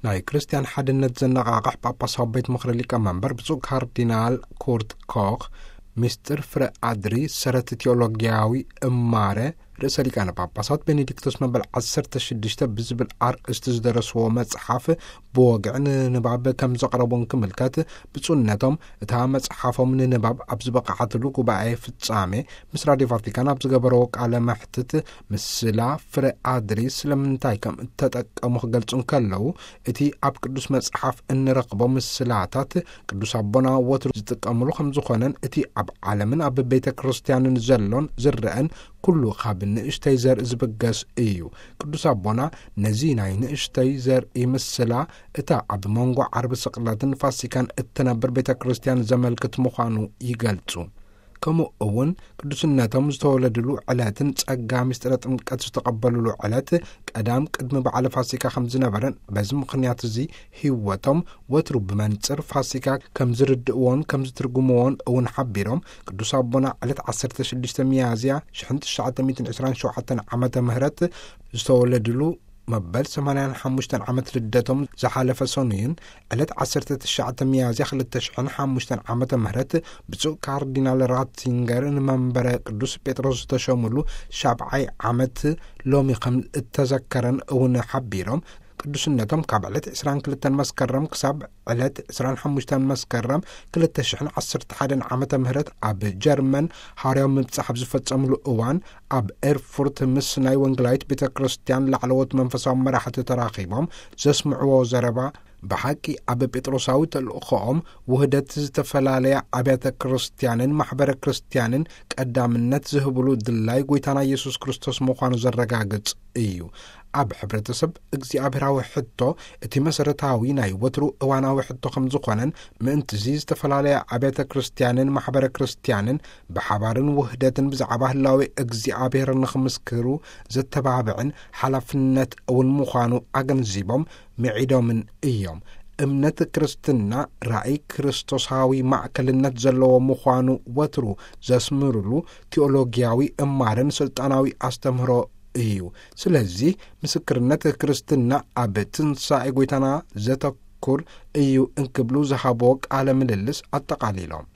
ናይ ክርስትያን ሓድነት ዘነቓቕሕ ጳጳሳዊ ቤት ምኽሪ ሊቀመንበር ብፁዕ ካርዲናል ኩርት ኮኽ፣ ምስጢር ፍረ ኣድሪ ሰረት ቲዮሎጊያዊ እማረ ርእሰ ሊቃነ ጳጳሳት ቤኔዲክቶስ መበል ዓሰርተ ሽዱሽተ ብዝብል ኣርእስቲ ዝደረስዎ መጽሓፍ ብወግዒ ንንባብ ከም ዘቕረቡን ክምልከት፣ ብፁዕነቶም እታ መጽሓፎም ንንባብ ኣብ ዝበቕዓትሉ ጉባኤ ፍጻሜ ምስ ራድዮ ቫቲካን ኣብ ዝገበረዎ ቃለ መሕትት፣ ምስላ ፍረ ኣድሪ ስለምንታይ ከም እተጠቀሙ ክገልጹ እንከለዉ፣ እቲ ኣብ ቅዱስ መጽሓፍ እንረኽቦ ምስላታት ቅዱስ ኣቦና ወትሩ ዝጥቀምሉ ከም ዝኾነን፣ እቲ ኣብ ዓለምን ኣብ ቤተ ክርስቲያንን ዘሎን ዝረአን ኩሉ ካብ ንእሽተይ ዘርኢ ዝብገስ እዩ። ቅዱስ ኣቦና ነዚ ናይ ንእሽተይ ዘርኢ ምስላ እታ ኣብ መንጎ ዓርቢ ስቕለትን ፋሲካን እትነብር ቤተ ክርስቲያን ዘመልክት ምዃኑ ይገልጹ። ከምኡ እውን ቅዱስነቶም ዝተወለድሉ ዕለትን ጸጋ ምስጢረ ጥምቀት ዝተቐበሉሉ ዕለት ቀዳም ቅድሚ በዓለ ፋሲካ ከም ዝነበረን፣ በዚ ምኽንያት እዚ ህይወቶም ወትሩ ብመንጽር ፋሲካ ከም ዝርድእዎን ከም ዝትርጉምዎን እውን ሓቢሮም፣ ቅዱስ ኣቦና ዕለት ዓሰርተ ሽዱሽተ ሚያዝያ ሽሕን ትሽዓተ ሚእትን ዕስራን ሸውዓተን ዓመተ ምህረት ዝተወለድሉ መበል ሰማንያን ሓሙሽተን ዓመት ልደቶም ዝሓለፈ ሰኑይን፣ ዕለት ዓሰርተ ትሽዓተ ሚያዝያ ክልተ ሽሕን ሓሙሽተን ዓመተ ምህረት ብፁዕ ካርዲናል ራትዚንገር ንመንበረ ቅዱስ ጴጥሮስ ዝተሸሙሉ ሻብዓይ ዓመት ሎሚ ከም እተዘከረን እውን ሓቢሮም፣ ቅዱስነቶም ካብ ዕለት ዕስራን ክልተን መስከረም ክሳብ ዕለት ዕስራን ሓሙሽተን መስከረም ክልተ ሽሕን ዓሰርተ ሓደን ዓመተ ምህረት ኣብ ጀርመን ሃዋርያዊ ምብጻሕ ኣብ ዝፈጸምሉ እዋን፣ ኣብ ኤርፉርት ምስ ናይ ወንጌላዊት ቤተ ክርስቲያን ላዕለዎት መንፈሳዊ መራሕቲ ተራኺቦም ዘስምዕዎ ዘረባ፣ ብሓቂ ኣብ ጴጥሮሳዊ ተልእኾኦም ውህደት ዝተፈላለያ ኣብያተ ክርስቲያንን ማሕበረ ክርስቲያንን ቀዳምነት ዝህብሉ ድላይ ጐይታና ኢየሱስ ክርስቶስ ምዃኑ ዘረጋግጽ እዩ። ኣብ ሕብረተሰብ እግዚኣብሔራዊ ሕቶ፣ እቲ መሰረታዊ ናይ ወትሩ እዋናዊ ሕቶ ከም ዝኾነን፣ ምእንትዚ ዝተፈላለያ ኣብያተ ክርስቲያንን ማሕበረ ክርስቲያንን ብሓባርን ውህደትን ብዛዕባ ህላዌ እግዚኣብሔር ንኽምስክሩ ዘተባብዕን ሓላፍነት እውን ምዃኑ ኣገንዚቦም፣ ምዒዶምን እዮም። እምነት ክርስትና ራእይ ክርስቶሳዊ ማእከልነት ዘለዎ ምዃኑ ወትሩ ዘስምርሉ ቲኦሎጊያዊ እማረን ስልጣናዊ ኣስተምህሮ እዩ። ስለዚ ምስክርነት ክርስትና ኣብ ትንሳኤ ጐይታና ዘተኩር እዩ እንክብሉ ዝሃብዎ ቃለ ምልልስ ኣጠቓሊሎም።